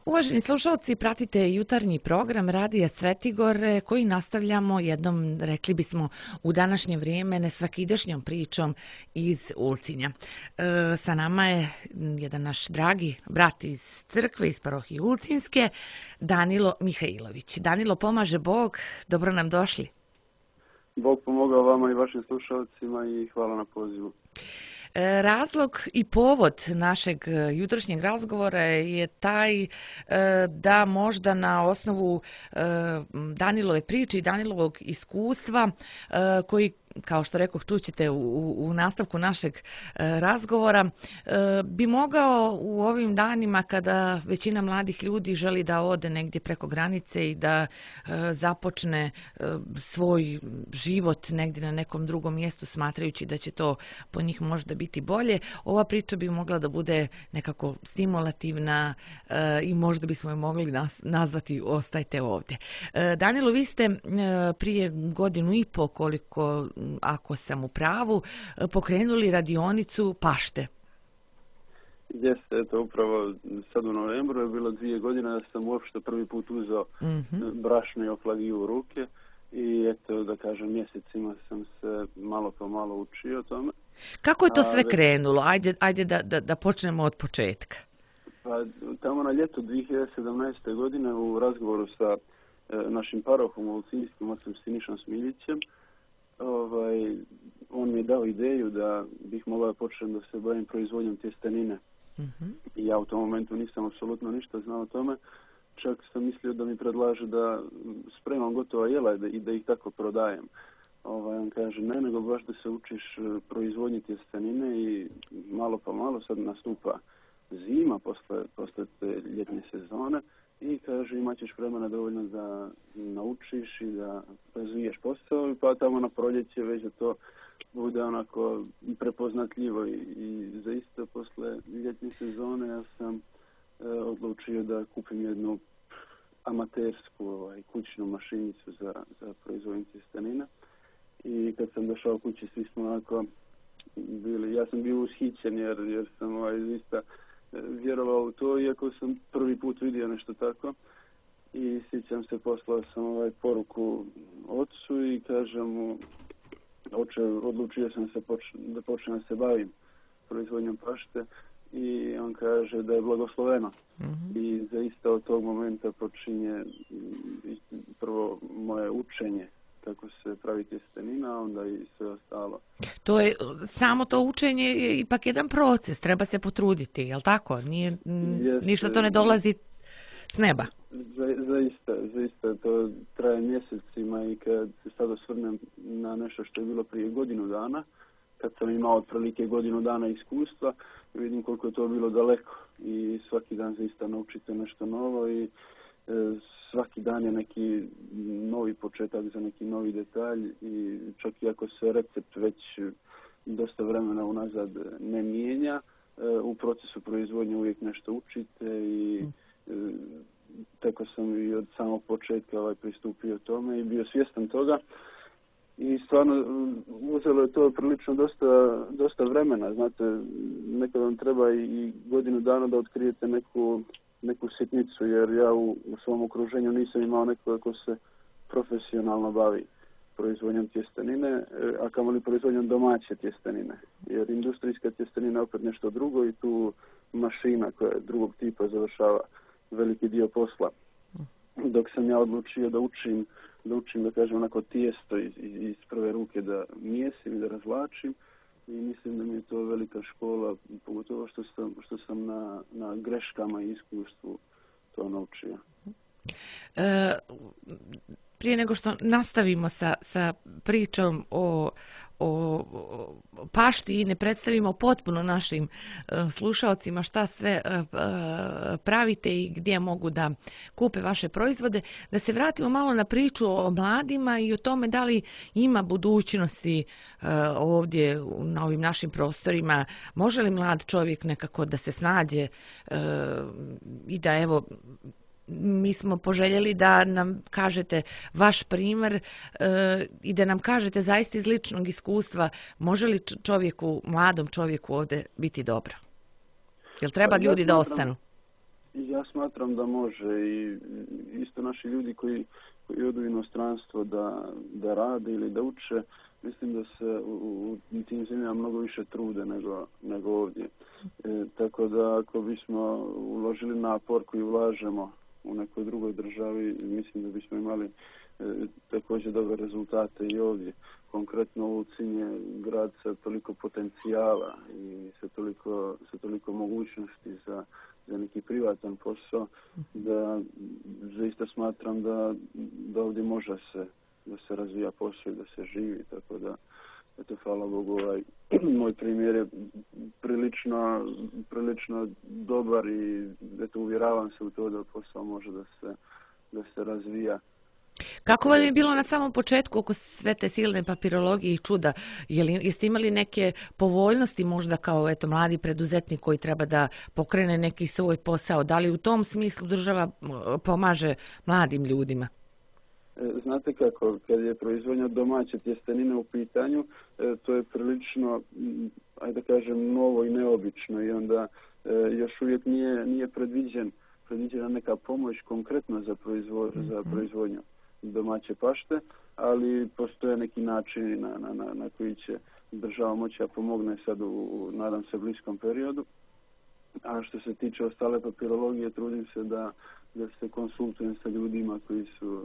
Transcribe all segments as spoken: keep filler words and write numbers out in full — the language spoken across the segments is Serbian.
Uvaženi slušalci, pratite jutarnji program Radija Svetigor koji nastavljamo jednom, rekli bismo, u današnje vrijeme nesvakidašnjom pričom iz Ulcinja. E, sa nama je jedan naš dragi brat iz crkve, iz parohije Ulcinjske, Danilo Mihajlović. Danilo, pomaže Bog, dobro nam došli. Bog pomogao vama i vašim slušalcima i hvala na pozivu. Razlog i povod našeg jutrošnjeg razgovora je taj da možda na osnovu Danilove priče i Danilovog iskustva koji, kao što rekoh, tu ćete u, u nastavku našeg razgovora, bi mogao u ovim danima kada većina mladih ljudi želi da ode negdje preko granice i da započne svoj život negdje na nekom drugom mjestu smatrajući da će to po njih možda biti bolje, ova priča bi mogla da bude nekako stimulativna i možda bismo je mogli nazvati ostajte ovdje. Danilo, vi ste prije godinu i po, koliko ako sam u pravu, pokrenuli radionicu pašte. Jeste, eto, upravo sad u novembru je bilo dvije godine da sam uopšte prvi put uzeo mm-hmm. brašno i oflagiju u ruke i eto, da kažem, mjesecima sam se malo po malo učio o tome. Kako je to sve A, krenulo? Ajde, ajde da, da, da počnemo od početka. Pa, tamo na ljeto dvije hiljade sedamnaeste. godine u razgovoru sa e, našim parohom ulcinjskim ocem Sinišom Smiljićem, Ovaj, on mi je dao ideju da bih mogao početi da se bavim proizvodnjom tjestenine. Mm-hmm. I ja u tom momentu nisam apsolutno ništa znao o tome. Čak sam mislio da mi predlaže da spremam gotova jela i da ih tako prodajem. Ovaj, on kaže ne, nego baš da se učiš proizvodnji tjestenine i malo pa malo sad nastupa zima posle, posle te ljetne sezone. I kaže, imat ćeš vremena dovoljno da naučiš i da razviješ posao, pa tamo na proljeće već da to bude onako prepoznatljivo. I, i zaista posle ljetne sezone ja sam e, odlučio da kupim jednu amatersku ovaj, kućnu mašinicu za, za proizvodnju tjestenina. I kad sam došao kući, svi smo onako bili, ja sam bio ushićen jer, jer sam ovaj, zaista vjerovao u to, iako sam prvi put vidio nešto tako. I sjećam se, poslao sam ovaj poruku ocu i kažem mu, oče, odlučio sam se poč- da počnem se bavim proizvodnjom pašte i on kaže da je blagosloveno. Mm-hmm. I zaista od tog momenta počinje prvo moje učenje kako se pravi tjestenina, onda i sve ostalo. To je, samo to učenje je ipak jedan proces, treba se potruditi, je li tako? Nije, Jeste, ništa to ne dolazi s neba. Za, zaista, zaista, to traje mjesecima i kad se sad osvrnem na nešto što je bilo prije godinu dana, kad sam imao otprilike godinu dana iskustva, vidim koliko je to bilo daleko i svaki dan zaista naučite nešto novo i e, svaki dan je neki novi početak za neki novi detalj i čak i ako se recept već dosta vremena unazad ne mijenja, u procesu proizvodnje uvijek nešto učite i tako sam i od samog početka ovaj, pristupio tome i bio svjestan toga. I stvarno uzelo je to prilično dosta, dosta vremena. Znate, nekad vam treba i godinu dana da otkrijete neku neku sitnicu, jer ja u, u svom okruženju nisam imao nekoga ko se profesionalno bavi proizvodnjom tjestenine, a kamoli proizvodnjom domaće tjestenine. Jer industrijska tjestenina je opet nešto drugo i tu mašina koja je drugog tipa završava veliki dio posla. Dok sam ja odlučio da učim, da učim, da kažem, onako tijesto iz, iz prve ruke da mijesim i da razvlačim, i mislim da mi je to velika škola, pogotovo što sam, što sam na, na greškama i iskustvu to naučio. E, prije nego što nastavimo sa, sa pričom o, o, o pašti i ne predstavimo potpuno našim uh, slušalcima šta sve uh, uh, pravite i gdje mogu da kupe vaše proizvode, da se vratimo malo na priču o mladima i o tome da li ima budućnosti uh, ovdje na ovim našim prostorima. Može li mlad čovjek nekako da se snađe uh, i da evo mi smo poželjeli da nam kažete vaš primjer e, i da nam kažete zaista iz ličnog iskustva može li čovjeku, mladom čovjeku ovdje biti dobro? Jel treba ljudi da ostanu? Ja smatram da može i isto naši ljudi koji, koji odu u inostranstvo da, da rade ili da uče, mislim da se u, u tim zemljama mnogo više trude nego, nego ovdje. E, tako da ako bismo uložili napor koji ulažemo u nekoj drugoj državi, mislim da bismo imali e, također dobre rezultate i ovdje. Konkretno Ulcinj je grad sa toliko potencijala i sa toliko, sa toliko mogućnosti za, za neki privatan posao, da zaista smatram da, da ovdje može se, da se razvija posao i da se živi, tako da eto, hvala Bogu, ovaj, moj primjer je prilično, prilično dobar i eto, uvjeravam se u to da posao može da se, da se razvija. Kako vam je bilo na samom početku oko sve te silne papirologije i čuda? Jeste imali neke povoljnosti možda kao eto, mladi preduzetnik koji treba da pokrene neki svoj posao? Da li u tom smislu država pomaže mladim ljudima? Znate kako, kad je proizvodnja domaće tjestenine u pitanju, to je prilično, ajde da kažem, novo i neobično i onda još uvijek nije, nije predviđen, predviđena neka pomoć konkretno za, proizvo, za proizvodnju domaće pašte, ali postoje neki načini na, na, na, na koji će država moći da pomogne sad u, u, nadam se, bliskom periodu. A što se tiče ostale papirologije, trudim se da, da se konsultujem sa ljudima koji su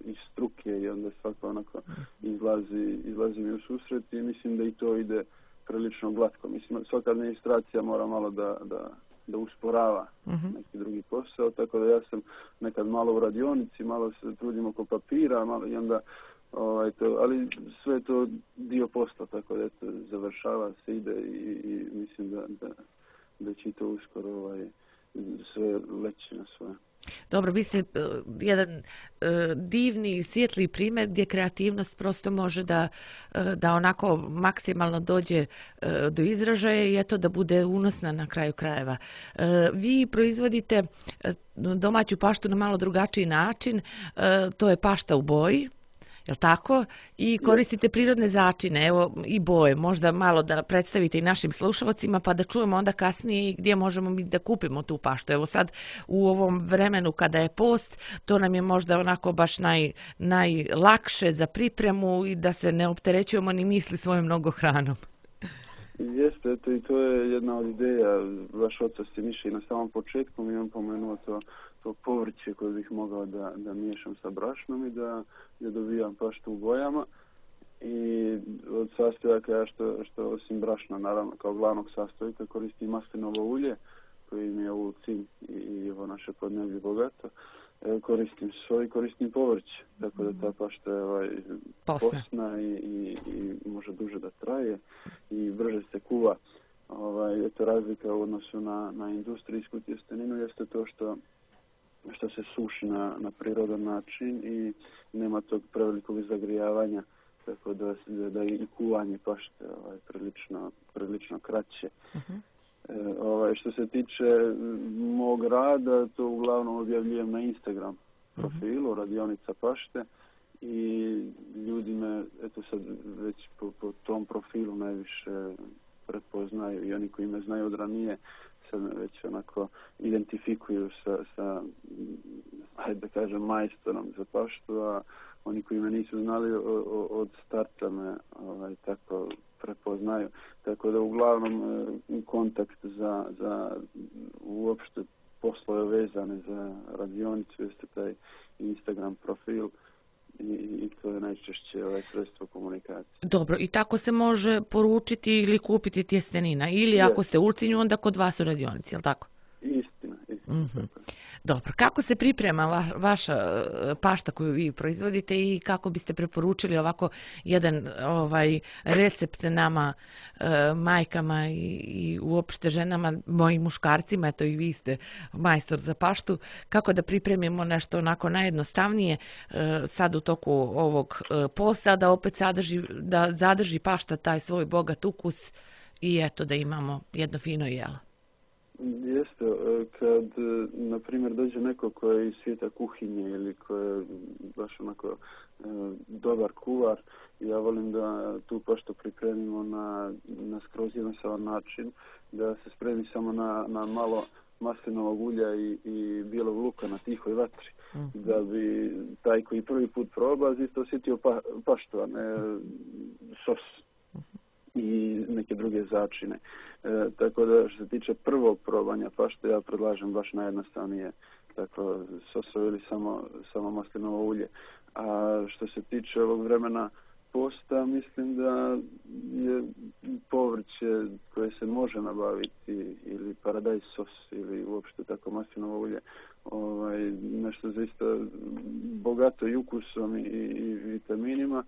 iz struke i onda svako onako izlazi, izlazi mi u susret i mislim da i to ide prilično glatko. Mislim, svaka administracija mora malo da, da, da usporava uh-huh. neki drugi posao, tako da ja sam nekad malo u radionici, malo se trudim oko papira, malo i onda, ovaj, to, ali sve je to dio posla, tako da eto, završava se, ide i, i mislim da, da, da će to uskoro ovaj, sve leći na svoje. Dobro, vi ste uh, jedan uh, divni, svijetli primjer gdje kreativnost prosto može da, uh, da onako maksimalno dođe uh, do izražaja i eto da bude unosna na kraju krajeva. Uh, vi proizvodite uh, domaću paštu na malo drugačiji način, uh, to je pašta u boji. Jel' tako? I koristite prirodne začine, evo i boje, možda malo da predstavite i našim slušalcima pa da čujemo onda kasnije gdje možemo mi da kupimo tu paštu. Evo sad u ovom vremenu kada je post, to nam je možda onako baš naj, najlakše za pripremu i da se ne opterećujemo ni misli svojom mnogo hranom. Jeste, eto i to je jedna od ideja. Vaš otac je mišlji na samom početku, mi on pomenuo to, to povrće koje bih mogao da, da miješam sa brašnom i da, da dobijam paštu u bojama. I od sastojaka ja što, što osim brašna, naravno kao glavnog sastojka, koristim maslinovo ulje koji mi je u Ulcinj i, i evo naše podneblje bogato. E, koristim svoj, koristim povrće, tako da ta pašta je ovaj, posna i, i, i može duže da traje i brže se kuva. Ovaj, eto razlika u odnosu na, na industrijsku tjesteninu jeste to što, što se suši na, na prirodan način i nema tog prevelikog zagrijavanja, tako da, da, da i kuvanje pašte ovaj, prilično, prilično kraće. Uh-huh. E, ovaj, što se tiče mog rada, to uglavnom objavljujem na Instagram profilu, radionica pašte i ljudi me, eto sad već po, po tom profilu najviše prepoznaju i oni koji me znaju od ranije sad me već onako identifikuju sa, sa ajde da kažem, majstorom za paštu, a oni koji me nisu znali o, o, od starta me ovaj, tako prepoznaju. Tako da uglavnom e, kontakt za, za uopšte poslove vezane za radionicu jeste taj Instagram profil i, i to je najčešće ovaj sredstvo komunikacije. Dobro, i tako se može poručiti ili kupiti tjestenina ili yes. Ako se u Ulcinju, onda kod vas u radionici, je li tako? Istina, istina. Mm-hmm. Dobro, kako se priprema va, vaša pašta koju vi proizvodite i kako biste preporučili ovako jedan ovaj recept nama e, majkama i, i uopšte ženama, mojim muškarcima, eto i vi ste majstor za paštu, kako da pripremimo nešto onako najjednostavnije e, sad u toku ovog e, posta, da opet sadrži, da zadrži pašta taj svoj bogat ukus i eto da imamo jedno fino jelo. Jeste, kad, na primjer, dođe neko ko je iz svijeta kuhinje ili ko je baš onako dobar kuvar, ja volim da tu paštu pripremimo na, na skroz jednostavan način, da se spremi samo na, na malo maslinovog ulja i, i bijelog luka na tihoj vatri. Mm. Da bi taj koji prvi put proba isto osjetio pa, paštu, a ne sos i neke druge začine. E, tako da što se tiče prvog probanja pašte, ja predlažem baš najjednostavnije tako sosovo ili samo, samo maslinovo ulje. A što se tiče ovog vremena posta, mislim da je povrće koje se može nabaviti ili paradajz sos ili uopšte tako maslinovo ulje, ovaj, nešto zaista bogato i ukusom i, i vitaminima.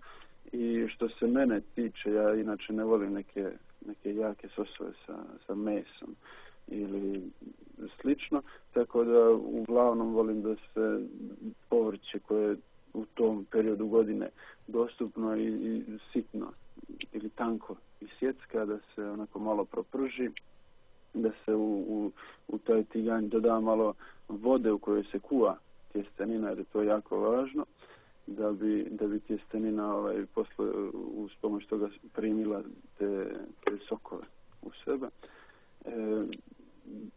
I što se mene tiče, ja inače ne volim neke, neke jake sosove sa, sa mesom ili slično, tako da uglavnom volim da se povrće koje u tom periodu godine dostupno i, i sitno ili tanko i sjecka, da se onako malo proprži, da se u, u, u taj tiganj doda malo vode u kojoj se kuva tjestenina, jer je to jako važno, da bi, da bi tjestenina ovaj, posle uz pomoć toga primila te, te sokove u sebe. E,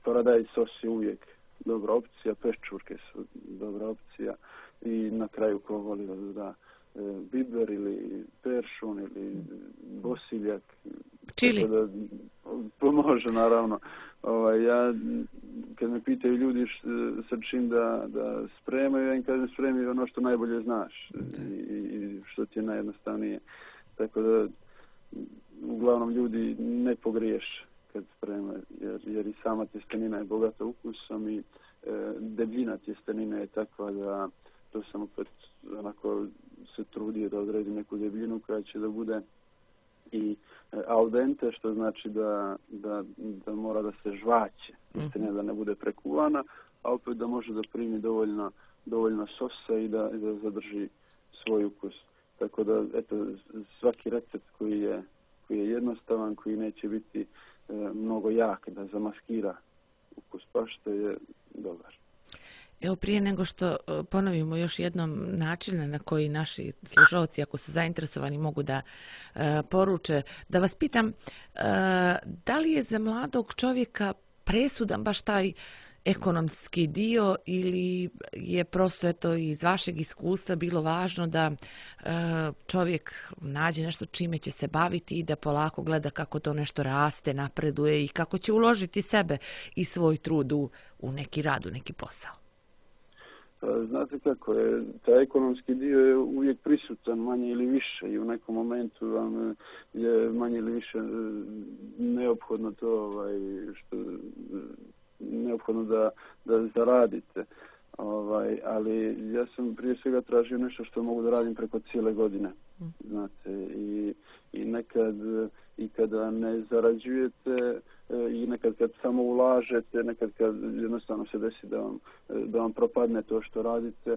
paradajz sos je uvijek dobra opcija, peščurke su dobra opcija i na kraju ko voli da doda e, biber ili peršun ili bosiljak. Čili. Da pomože naravno. Ovaj, ja, kad me pitaju ljudi š, sa čim da, da spremaju, ja im kažem spremi ono što najbolje znaš i, i što ti je najjednostavnije. Tako da uglavnom ljudi ne pogriješe kad spremaju, jer, jer i sama tjestenina je bogata ukusom i e, debljina tjestenine je takva da to sam opet onako se trudio da odredim neku debljinu koja će da bude i al dente, što znači da, da, da mora da se žvaće, mm-hmm. da ne bude prekuvana, a opet da može da primi dovoljno, dovoljno sosa i da, i da zadrži svoj ukus. Tako da, eto, svaki recept koji je, koji je jednostavan, koji neće biti e, mnogo jak, da zamaskira ukus pašte, je dobar. Evo, prije nego što ponovimo još jednom način na koji naši slušalci, ako su zainteresovani, mogu da e, poruče, da vas pitam, e, da li je za mladog čovjeka presudan baš taj ekonomski dio ili je prosto eto iz vašeg iskustva bilo važno da e, čovjek nađe nešto čime će se baviti i da polako gleda kako to nešto raste, napreduje i kako će uložiti sebe i svoj trud u, u neki rad, u neki posao? Znate kako je, taj ekonomski dio je uvijek prisutan, manje ili više, i u nekom momentu vam je manje ili više neophodno to, ovaj, što, neophodno da, da zaradite. Ovaj, ali ja sam prije svega tražio nešto što mogu da radim preko cijele godine. Znate, i, i nekad i kada ne zarađujete i nekad kad samo ulažete, nekad kad jednostavno se desi da vam, da vam propadne to što radite,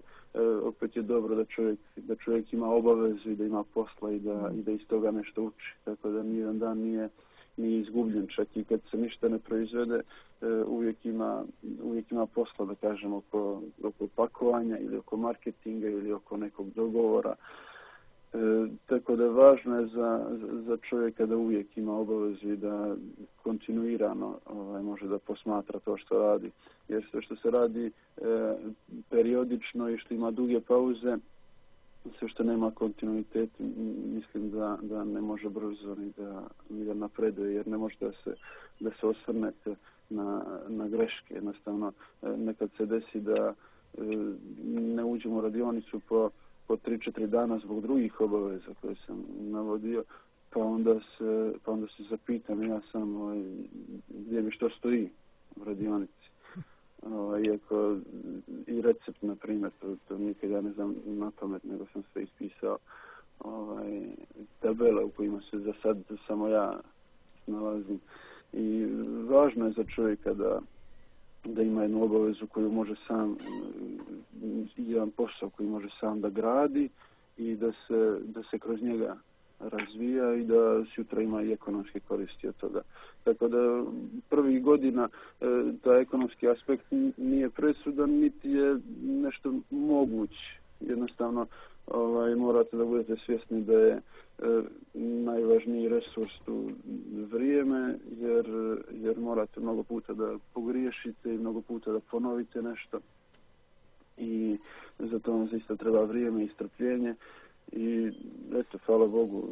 opet je dobro da čovjek, da čovjek ima obavezu i da ima posla i da, i da iz toga nešto uči. Tako da nijedan dan nije, nije izgubljen. Čak i kad se ništa ne proizvede, uvijek ima, uvijek ima posla, da kažem, oko, oko pakovanja ili oko marketinga ili oko nekog dogovora. E, tako da važno je za, za čovjeka da uvijek ima obavezu i da kontinuirano ovaj, može da posmatra to što radi. Jer sve što se radi e, periodično i što ima duge pauze, sve što nema kontinuitet, mislim da, da ne može brzo ni da, ni da napreduje, jer ne može da se, da se osvrnete na, na greške. Jednostavno, nekad se desi da e, ne uđemo u radionicu po po tri četiri dana zbog drugih obaveza koje sam navodio, pa onda se, pa onda se zapitam ja sam ovaj, gdje mi što stoji u radionici. Ovaj, iako i recept, na primjer, to, to nikad ja ne znam na pamet, nego sam sve ispisao, ovaj, tabele u kojima se za sad samo ja nalazim. I važno je za čovjeka da da ima jednu obavezu koju može sam, jedan posao koji može sam da gradi i da se, da se kroz njega razvija i da sutra ima i ekonomske koristi od toga. Tako da prvih godina taj ekonomski aspekt nije presudan, niti je nešto moguć jednostavno ovaj, morate da budete svjesni da je e, najvažniji resurs tu vrijeme, jer, jer morate mnogo puta da pogriješite i mnogo puta da ponovite nešto. I zato vam zaista treba vrijeme i strpljenje. I eto, hvala Bogu,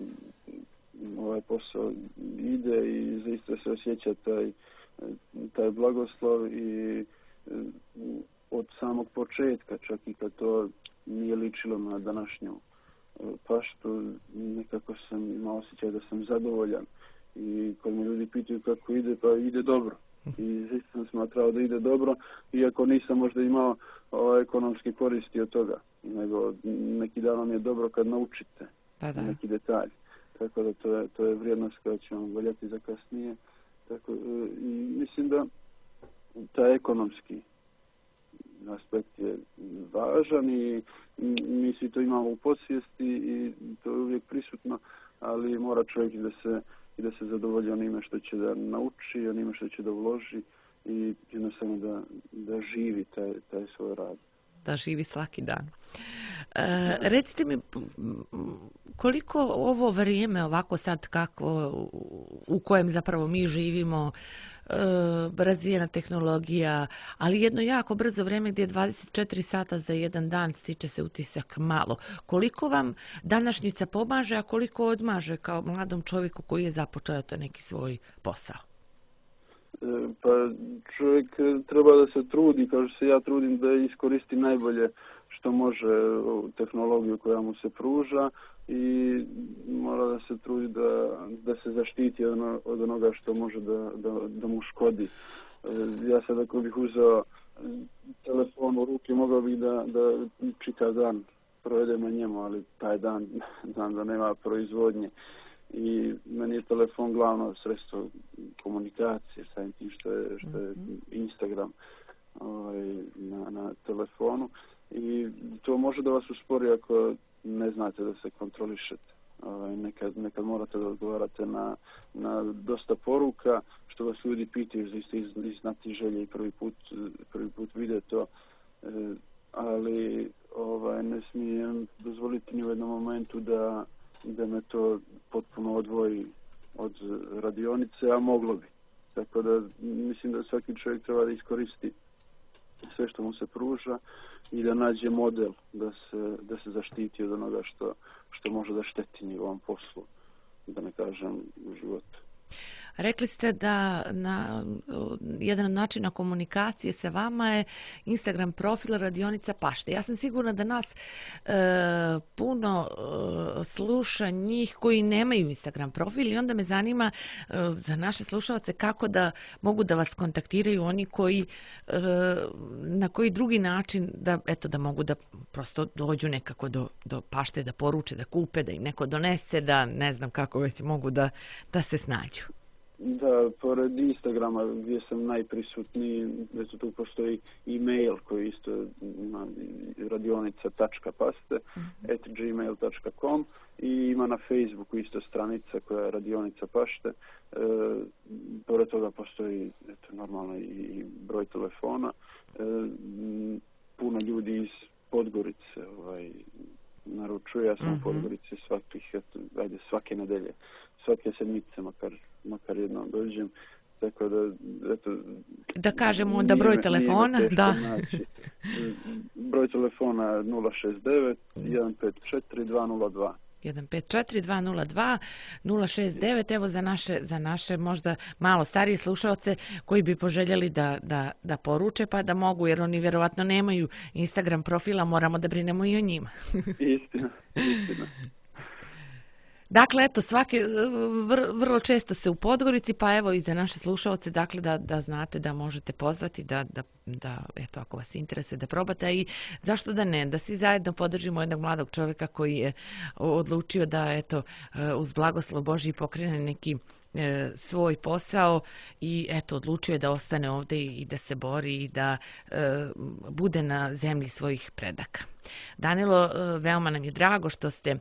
ovaj posao ide i zaista se osjeća taj, taj blagoslov i od samog početka, čak i kad to nije ličilo na današnju paštu, nekako sam imao osjećaj da sam zadovoljan. I kad me ljudi pitaju kako ide, pa ide dobro. I zaista sam smatrao da ide dobro, iako nisam možda imao o, ekonomske koristi od toga. Nego neki dan vam je dobro kad naučite da, da. neki detalj. Tako da to je, to je vrijednost koja će vam voljeti za kasnije. Tako, i mislim da taj ekonomski aspekt je važan i mi svi to imamo u podsvijesti i to je uvijek prisutno, ali mora čovjek da se, i da se zadovolji onime što će da nauči, onime što će da uloži i jednostavno da, da živi taj, taj svoj rad. Da živi svaki dan. E, recite mi, koliko ovo vrijeme ovako sad kako u kojem zapravo mi živimo, e, razvijena tehnologija, ali jedno jako brzo vrijeme gdje je dvadeset četiri sata za jedan dan, stiče se utisak malo. Koliko vam današnjica pomaže, a koliko odmaže kao mladom čovjeku koji je započeo to neki svoj posao? Pa čovjek treba da se trudi, kao što se ja trudim, da iskoristi najbolje što može tehnologiju koja mu se pruža i mora da se trudi da, da se zaštiti od onoga što može da, da, da mu škodi. Ja sad ako bih uzeo telefon u ruke, mogao bih da, da čitav dan provedem na njemu, ali taj dan znam da nema proizvodnje. I meni je telefon glavno sredstvo komunikacije sa tim što je, što je Instagram ovaj, na, na telefonu. I to može da vas uspori ako ne znate da se kontrolišete. Ovaj, nekad, nekad morate da odgovarate na, na dosta poruka, što vas ljudi pitaju iz, iz, iz znati želje i prvi put, prvi put vide to. E, ali ovaj, ne smijem dozvoliti ni u jednom momentu da da me to potpuno odvoji od radionice, a moglo bi. Tako da mislim da svaki čovjek treba da iskoristi sve što mu se pruža i da nađe model da se, da se zaštiti od onoga što, što može da šteti njegovom poslu, da ne kažem u životu. Rekli ste da na, jedan od načina komunikacije sa vama je Instagram profil Radionica Pašte. Ja sam sigurna da nas e, puno e, sluša njih koji nemaju Instagram profil i onda me zanima e, za naše slušalce kako da mogu da vas kontaktiraju oni koji e, na koji drugi način da, eto, da mogu da prosto dođu nekako do, do Pašte, da poruče, da kupe, da im neko donese, da ne znam kako već mogu da, da se snađu. Da, pored Instagrama gdje sam najprisutniji, već tu postoji e-mail koji isto ima radionica tačka paste at gmail tačka com i ima na Facebooku isto stranica koja je Radionica Pašte. E, pored toga postoji eto, normalno i broj telefona. E, puno ljudi iz Podgorice ovaj, naručuje, ja sam mm-hmm. u Podgorici svakih, eto, ajde, svake nedelje, svake sedmice makar makar jednom dođem, tako da, eto... Da kažemo onda broj telefona, da. Naći. Broj telefona nula šest devet jedan pet četiri dva nula dva. jedan pet četiri dva nula dva nula šest devet, evo za naše, za naše možda malo starije slušalce koji bi poželjeli da, da, da poruče, pa da mogu, jer oni vjerovatno nemaju Instagram profila, moramo da brinemo i o njima. Istina, istina. Dakle, eto, svake, vr, vrlo često se u Podgorici, pa evo i za naše slušalce, dakle, da, da znate da možete pozvati, da, da, da, eto, ako vas interesuje, da probate i zašto da ne, da svi zajedno podržimo jednog mladog čovjeka koji je odlučio da, eto, uz blagoslov Božji pokrene neki e, svoj posao i, eto, odlučio je da ostane ovdje i da se bori i da e, bude na zemlji svojih predaka. Danilo, veoma nam je drago što ste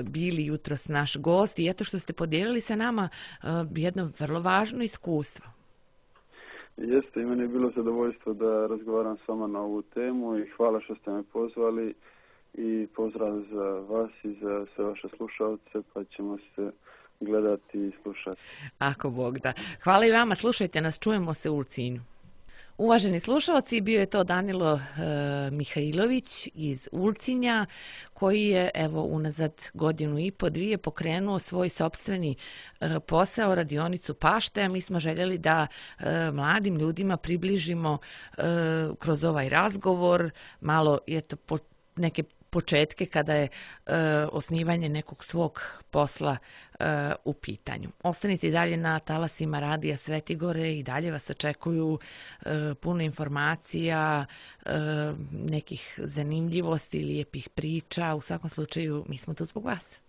bili jutros naš gost i eto što ste podijelili sa nama jedno vrlo važno iskustvo. Jeste, i meni je bilo zadovoljstvo da razgovaram s vama na ovu temu i hvala što ste me pozvali i pozdrav za vas i za sve vaše slušalce, pa ćemo se gledati i slušati. Ako Bog da. Hvala i vama, slušajte nas, čujemo se u Ulcinju. Uvaženi slušalci, bio je to Danilo e, Mihajlović iz Ulcinja, koji je evo unazad godinu i po dvije pokrenuo svoj sopstveni e, posao, radionicu pašte. Mi smo željeli da e, mladim ljudima približimo e, kroz ovaj razgovor malo eto, po, neke početke kada je e, osnivanje nekog svog posla e, u pitanju. Ostanite i dalje na talasima Radija Svetigore i dalje vas očekuju e, puno informacija, e, nekih zanimljivosti, lijepih priča. U svakom slučaju mi smo tu zbog vas.